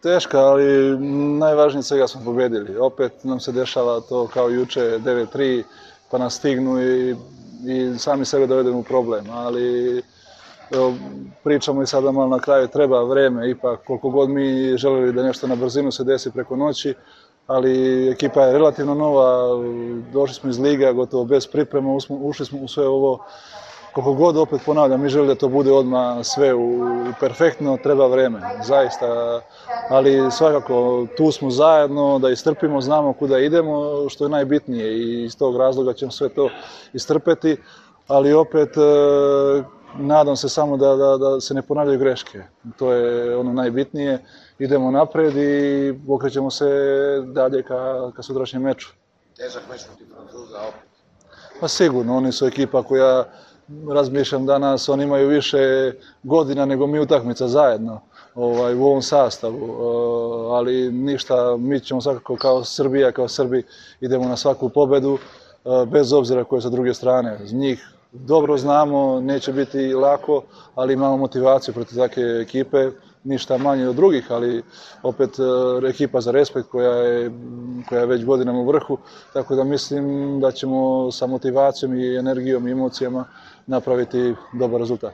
Teška, ali najvažnije svega smo pobedili. Opet nam se dešava to kao juče 9-3, pa nas stignu i sami sebe dovedemo u problem. Ali evo, pričamo i sada malo na kraju, treba vreme, ipak koliko god mi želeli da nešto na brzinu se desi preko noći, ali ekipa je relativno nova, došli smo iz liga gotovo bez priprema, ušli smo u sve ovo. Koliko god opet ponavljam, mi želimo da to bude odmah sve perfektno, treba vreme, zaista, ali svakako tu smo zajedno, da istrpimo, znamo kuda idemo, što je najbitnije i iz tog razloga ćemo sve to istrpeti, ali opet nadam se samo da se ne ponavljaju greške, to je ono najbitnije, idemo napred i okrećemo se dalje ka sutrašnjem meču. Težak meč protiv Francuza opet. Pa sigurno, oni su ekipa koja, razmišljam danas, oni imaju više godina nego mi utakmica zajedno u ovom sastavu, ali ništa, mi ćemo svakako kao Srbija, kao Srbi idemo na svaku pobedu, bez obzira koje sa druge strane. Njih dobro znamo, neće biti lako, ali imamo motivaciju protiv takve ekipe, ništa manje od drugih, ali opet ekipa za respekt koja je već godinama u vrhu, tako da mislim da ćemo sa motivacijom i energijom i emocijama napraviti dobar rezultat.